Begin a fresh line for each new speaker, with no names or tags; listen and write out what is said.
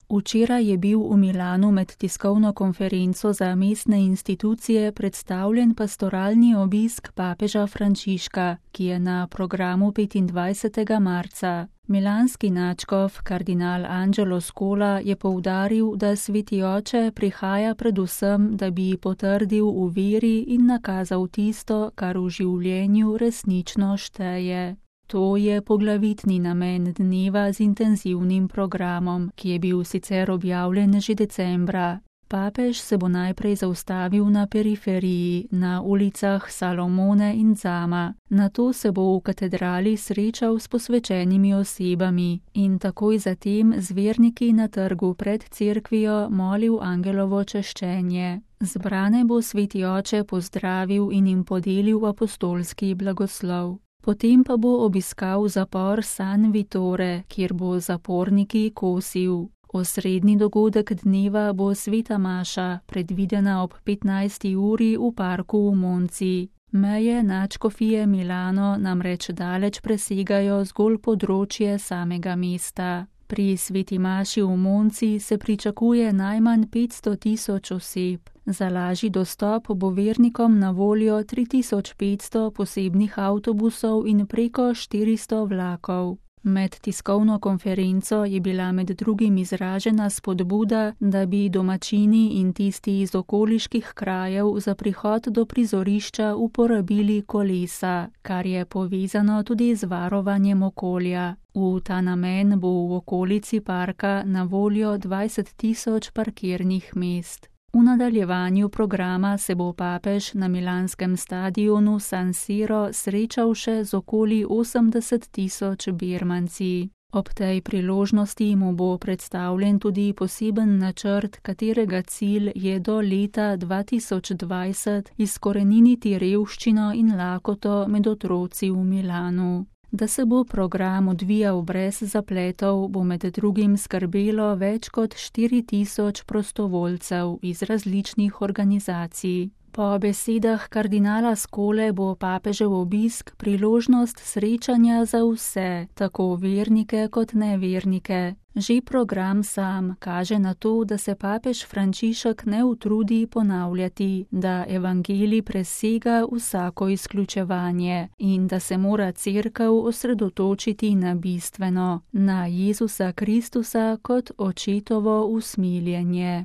Včeraj je bil v Milanu med tiskovno konferenco za mestne institucije predstavljen pastoralni obisk papeža Frančiška, ki je na programu 25. marca. Milanski nadškof kardinal Angelo Scola je poudaril, da Sveti oče prihaja predvsem, da bi potrdil v veri in nakazal tisto, kar v življenju resnično šteje. To je poglavitni namen dneva z intenzivnim programom, ki je bil sicer objavljen že decembra. Papež se bo najprej zaustavil na periferiji, na ulicah Salomone in Zama. Nato se bo v katedrali srečal s posvečenimi osebami in takoj zatem z verniki na trgu pred cerkvijo molil angelovo češčenje. Zbrane bo Sveti oče pozdravil in jim podelil apostolski blagoslov. Potem pa bo obiskal zapor San Vittore, kjer bo zaporniki kosil. Osrednji dogodek dneva bo sveta maša, predvidena ob 15. uri v parku v Monci. Meje nadškofije Milano namreč daleč presegajo zgolj področje samega mesta. Pri sveti maši v Monci se pričakuje najmanj 500.000 oseb. Za lažji dostop bo vernikom na voljo 3500 posebnih avtobusov in preko 400 vlakov. Med tiskovno konferenco je bila med drugim izražena spodbuda, da bi domačini in tisti iz okoliških krajev za prihod do prizorišča uporabili kolesa, kar je povezano tudi z varovanjem okolja. V ta namen bo v okolici parka na voljo 20.000 parkirnih mest. V nadaljevanju programa se bo papež na milanskem stadionu San Siro srečal še z okoli 80.000 birmanci. Ob tej priložnosti mu bo predstavljen tudi poseben načrt, katerega cilj je do leta 2020 izkoreniniti revščino in lakoto med otroci v Milanu. Da se bo program odvijal brez zapletov, bo med drugim skrbelo več kot 4.000 prostovoljcev iz različnih organizacij. Po besedah kardinala Scole bo papežev obisk priložnost srečanja za vse, tako vernike kot nevernike. Že program sam kaže na to, da se papež Frančišek ne utrudi ponavljati, da evangelij presega vsako izključevanje in da se mora cerkev osredotočiti na bistveno, na Jezusa Kristusa kot očetovo usmiljenje.